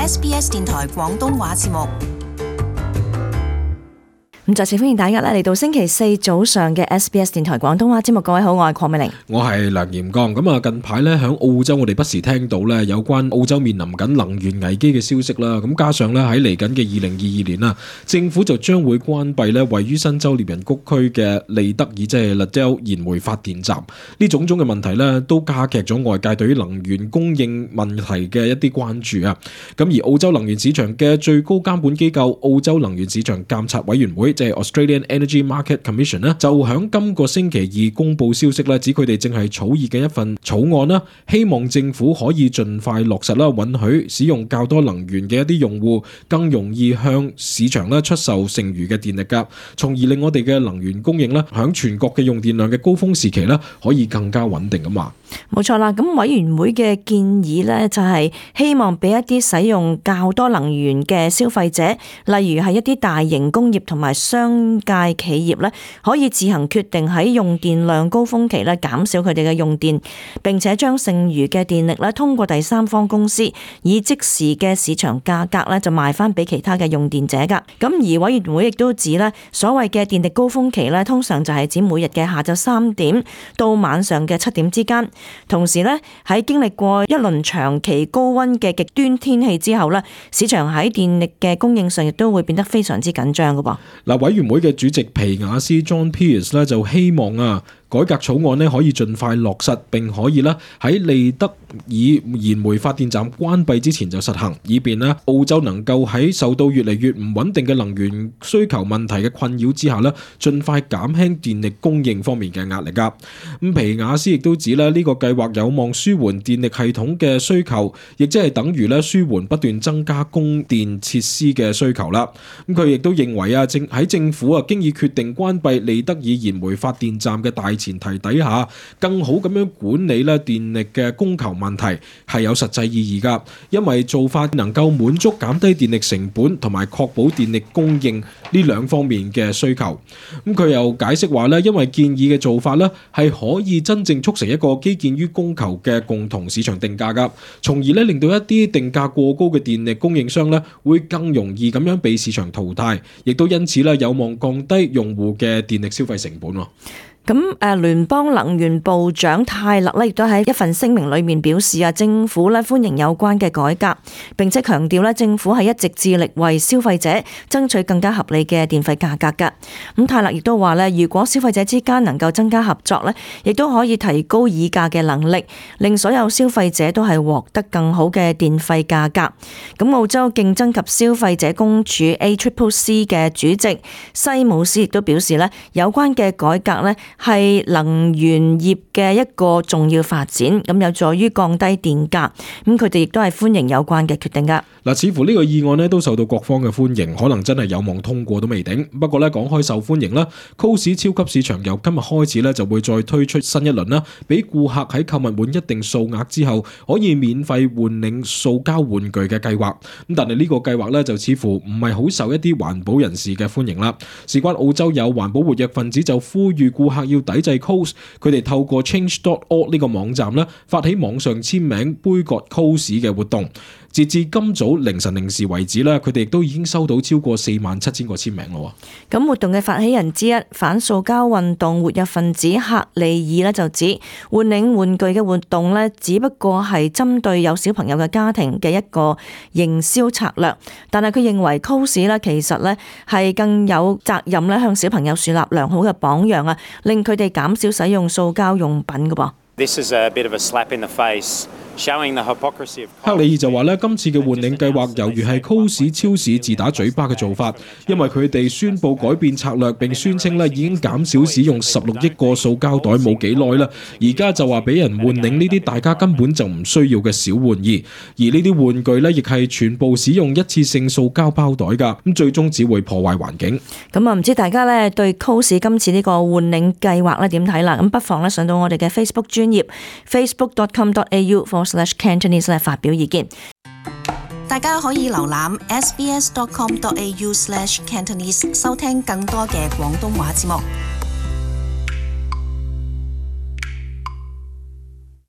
SBS 電台廣東話節目。咁再次歡迎大家嚟到星期四早上嘅 SBS 電台廣東話節目。各位好，我係鄺美玲，我係梁炎剛。咁啊，近排咧喺澳洲，我哋不時聽到咧有關澳洲面臨緊能源危機嘅消息啦。咁加上咧喺嚟緊嘅2022年啦，政府就將會關閉咧位於新州獵人谷區嘅利德爾即係 Liddell 燃煤發電站。呢種種嘅問題咧，都加劇咗外界對於能源供應問題嘅一啲關注啊。咁而澳洲能源市場嘅最高監管機構澳洲能源市場監察委員會，即係 Australian Energy Market Commission 咧，就喺今個星期二公布消息咧，指佢哋正係草擬嘅一份草案啦，希望政府可以盡快落實啦，允許使用較多能源嘅一啲用戶更容易向市場咧出售剩餘嘅電力噶，從而令我哋嘅能源供應咧喺全國嘅用電量嘅高峰時期咧可以更加穩定咁話。冇錯啦，咁委員會嘅建議呢，就係希望俾一啲使用較多能源嘅消費者，例如係一啲大型工業同埋商界企業呢，可以自行決定喺用電量高峰期呢減少佢哋嘅用電，並且將剩餘嘅電力呢通過第三方公司以即時嘅市場價格呢就賣翻俾其他嘅用電者噶。咁而委員會亦都指呢，所謂嘅電力高峰期呢，通常就係指每日嘅下晝3點到晚上嘅7點之間。同時咧，喺經歷過一輪長期高溫嘅極端天氣之後咧，市場喺電力嘅供應上亦都會變得非常之緊張噶噃。嗱，委員會嘅主席皮亞斯 John Pearce 咧就希望改革草案咧可以盡快落實，並可以咧喺利德爾燃煤發電站關閉之前就實行，以便咧澳洲能夠喺受到越嚟越唔穩定嘅能源需求問題嘅困擾之下咧，盡快減輕電力供應方面嘅壓力噶。咁皮亞斯亦都指咧呢個計劃有望舒緩電力系統嘅需求，亦即係等於咧舒緩不斷增加供電設施嘅需求啦。咁佢亦都認為喺政府經已決定關閉利德爾燃煤發電站嘅大前提底下，更好咁樣管理咧電力嘅供求問題係有實際意義噶，因為做法能夠滿足減低電力成本同埋確保電力供應呢兩方面嘅需求。咁佢又解釋話咧，因為建議嘅做法咧係可以真正促成一個基建於供求嘅共同市場定價噶，從而咧令到一啲定價過高嘅電力供應商咧會更容易咁樣被市場淘汰，亦都因此咧有望降低用戶嘅電力消費成本。咁聯邦能源部長泰勒咧亦都喺一份聲明裏面表示政府咧歡迎有關嘅改革，並且強調咧政府係一直致力為消費者爭取更加合理嘅電費價格㗎。咁泰勒亦都話咧，如果消費者之間能夠增加合作咧，亦都可以提高議價嘅能力，令所有消費者都係獲得更好嘅電費價格。咁澳洲競爭及消費者公署 ACCC 嘅主席西姆斯亦都表示咧，有關嘅改革咧係能源業嘅一個重要發展，咁有助於降低電價。咁佢哋亦都係歡迎有關嘅決定噶。嗱，似乎呢個議案都受到各方嘅歡迎，可能真係有望通過都未定。不過講開受歡迎啦，Coles 超級市場由今日開始就會再推出新一輪啦，俾顧客喺購物滿一定數額之後可以免費換領塑膠玩具嘅計劃。咁但係呢個計劃就似乎唔係好受一啲環保人士嘅歡迎啦。事關澳洲有環保活躍分子就呼籲顧客要抵制 Coles， 佢哋透過 Change.org 呢個網站發起網上簽名杯葛 Coles 嘅活動。截至今早凌晨0時為止佢哋亦都已經收到超過47,000個簽名咯。咁活動嘅發起人之一反塑膠運動活躍分子克利爾就指，換領玩具嘅活動只不過係針對有小朋友嘅家庭嘅一個營銷策略，但係佢認為 Coles 其實係更有責任向小朋友樹立良好嘅榜樣令佢哋減少使用塑膠用品㗎噃。This is a bit of a slap in the face. 克里爾就話今次嘅換領計劃猶如係 Coles 超市自打嘴巴嘅做法，因為佢哋宣布改變策略，並宣稱已經減少使用16億個塑膠袋冇幾耐啦，而家就話俾人換領呢啲大家根本就唔需要嘅小玩意，而呢啲玩具亦係全部使用一次性塑膠包袋㗎，咁最終只會破壞環境。咁唔知大家對 Coles 今次呢個換領計劃點睇啦？咁不妨上到我哋嘅 Facebook 專頁 facebook.com.au/Cantonese 發表意見。大家可以瀏覽 sbs.com.au/Cantonese 收聽更多嘅廣東話節目。